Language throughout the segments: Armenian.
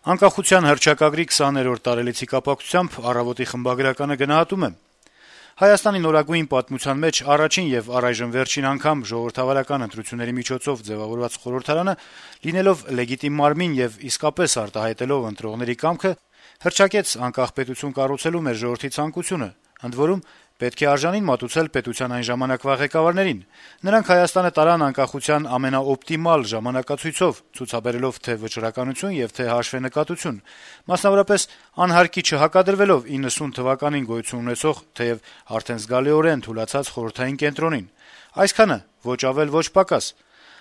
Անկախության հռչակագրի 20-րդ տարելիցի կապակցությամբ «Առավոտ»-ի խմբագրականը գնահատում է. - «Հայաստանի նորագույն պատմության մեջ առաջին եւ առայժմ վերջին անգամ ժողովրդավարական ընտրությունների միջոցով ձեւավորված խորհրդարանը, լինելով լեգիտիմ մարմին եւ իսկապես արտահայտելով ընտրողների կամքը, հռչակեց անկախ պետություն կառուցելու մեր ժողովրդի ցանկությունը, ընդ որում պետք է արժանին մատուցել պետության այն ժամանակվա ղեկավարներին: Նրանք Հայաստանը տարան անկախության ամենաօպտիմալ ժամանակացույցով, ցուցաբերելով թե վճռականություն եւ թե հաշվենկատություն, մասնավորապես անհարկի չհակադրվելով 90 թվականին գոյություն ունեցող, թեեւ արդեն զգալիորեն թուլացած խորհրդային կենտրոնին: Այսքանը, ոչ ավել, ոչ պակաս: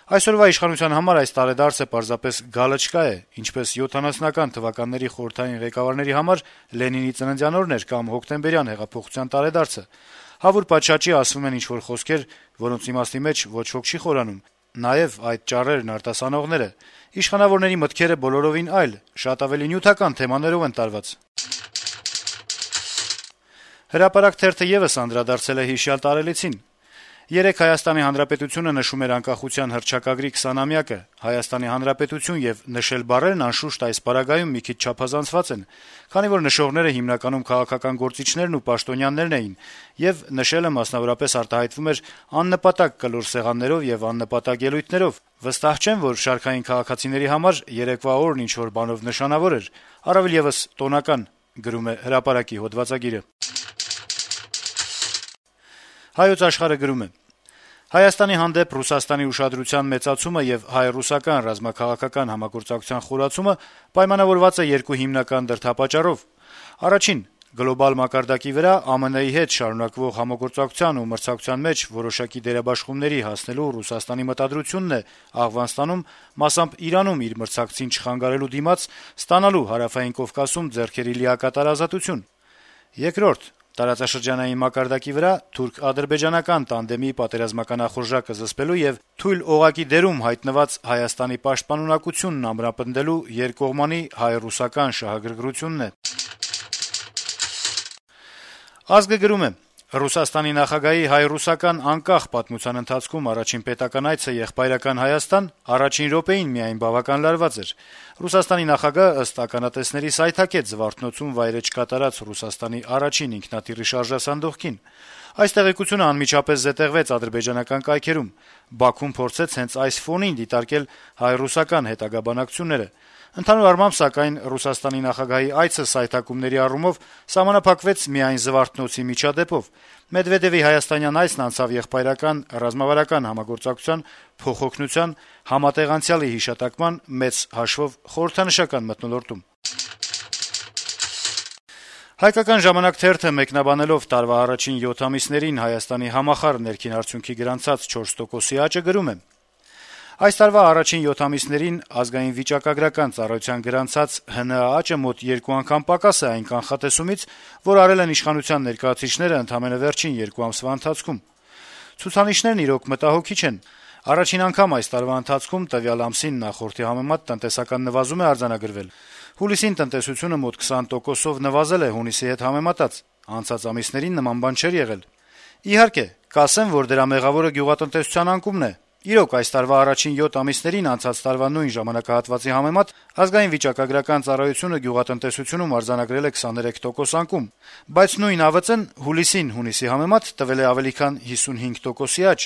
Այսօրվա իշխանության համար այս տարեդարձը պարզապես գալչկա է, ինչպես 70-ական թվականների խորհրդային ղեկավարների համար Լենինի ծննդյան օրն էր կամ հոկտեմբերյան հեղափոխության տարեդարձը: Հավուր պատշաճի ասվում են ինչ-որ խոսքեր, որոնց իմաստի մեջ ոչ ոք չի խորանում: Նաեւ այդ ճառերն արտասանողները, իշխանավորների մտքերը բոլորովին այլ, շատ ավելի նյութական թեմաներով են տարված»: «Հրապարակ» թերթը եւս անդրադարձել է հիշյալ տարելիցին. - «Երեկ Հայաստանի Հանրապետությունը նշում էր անկախության հռչակագրի 20-ամյակը: Հայաստանի Հանրապետություն եւ նշել բառերն, անշուշտ, այս պարագայում մի քիչ չափազանցված են, քանի որ նշողները հիմնականում քաղաքական գործիչներն ու պաշտոնյաներն էին, եւ նշելը մասնավորապես արտահայտվում էր աննպատակ կլոր սեղաններով եւ աննպատակ ելույթներով: Վստահ չեմ, որ շարքային քաղաքացիների համար երեկվա օրն ինչ-որ բանով նշանավոր էր, առավել եւս տոնական»: «Հայոց Աշխարհ»-ը գրում է. - «Հայաստանի հանդեպ Ռուսաստանի ուշադրության մեծացումը եւ հայ-ռուսական ռազմաքաղաքական համագործակցության խորացումը պայմանավորված է երկու հիմնական դրդապատճառով: Առաջին՝ գլոբալ մակարդակի վրա ԱՄՆ-ի հետ շարունակվող համագործակցության ու մրցակցության մեջ որոշակի դերաբաշխումների հասնելու Ռուսաստանի մտադրությունն է Աֆղանստանում, մասամբ Իրանում իր մրցակցին չխանգարելու դիմաց ստանալու Հարավային Կովկասում ձեռքերի լիակատար ազատություն: Երկրորդ՝ տարածաշրջանային մակարդակի վրա թուրք-ադրբեջանական տանդեմի պատերազմական ախորժակը զսպելու եւ թույլ օղակի դերում հայտնված Հայաստանի պաշտպանունակությունն ամրապնդելու երկկողմանի հայ-ռուսական շահագրգռությունն է»: «Ազգ»-ը գրում է. - «Ռուսաստանի նախագահի հայ-ռուսական անկախ պատմության ընթացքում առաջին պետական այցը եղբայրական Հայաստան առաջին րոպեին միայն բավական լարված էր: Ռուսաստանի նախագահը, ըստ ականատեսների, սայթաքեց Զվարթնոցում վայրէջք կատարած Ռուսաստանի առաջին ինքնաթիռի շարժասանդուղքին: Այս տեղեկությունը անմիջապես զետեղվեց ադրբեջանական կայքերում: Բաքուն փորձեց հենց այս ֆոնին դիտարկել հայ-ռուսական հետագա բանակցությունները: Ընդհանուր առմամբ, սակայն, Ռուսաստանի նախագահի այցը սայթաքումների առումով սահմանափակվեց միայն Զվարթնոցի միջադեպով: Մեդվեդեւի հայաստանյան այցն անցավ եղբայրական ռազմավարական համագործակցության, փոխօգնության, համատեղ անցյալի հիշատակման, մեծ հաշվով խորհրդանշական մթնոլորտում»: «Հայկական ժամանակ» թերթը մեկնաբանելով տարվա առաջին 7 ամիսներին Հայաստանի համախառն ներքին արդյունքի գրանցած 4%-ի աճը գրում է. - «Այս տարվա առաջին 7 ամիսներին Ազգային վիճակագրական ծառայության գրանցած ՀՆԱ աճը մոտ 2 անգամ պակաս է այն կանխատեսումից, որ արել են իշխանության ներկայացուցիչները ընդամենը վերջին 2 ամսվա ընթացքում: Ցուցանիշներն, իրոք, մտահոգիչ են: Առաջին անգամ այս տարվա ընթացքում տվյալ ամսին նախորդի համեմատ տնտեսական նվազում է արձանագրվել: Հուլիսին տնտեսությունը մոտ 20%-ով նվազել է հունիսի հետ համեմատած: Անցած ամիսներին նման բան չէր եղել: Իհարկե, կասեն, որ դրա մեղավորը գյուղատնտեսության անկումն է: Իրոք, այս տարվա առաջին 7 ամիսներին անցած տարվա նույն ժամանակահատվածի համեմատ Ազգային վիճակագրական ծառայությունը գյուղատնտեսությունում արձանագրել է 23% անկում: Բայց նույն ԱՎԾ-ն հուլիսին հունիսի համեմատ տվել է ավելի քան 55%-ի աճ»: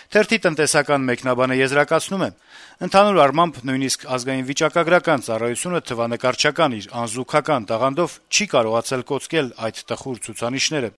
Թերթի տնտեսական մեկնաբանը եզրակացնում է. - «Ընդհանուր առմամբ, նույնիսկ Ազգային վիճակագրական ծառայությունը թվանկարչական իր անզուգական տաղանդով չի կարողացել կոծկել այդ տխուր ցուցանիշները»: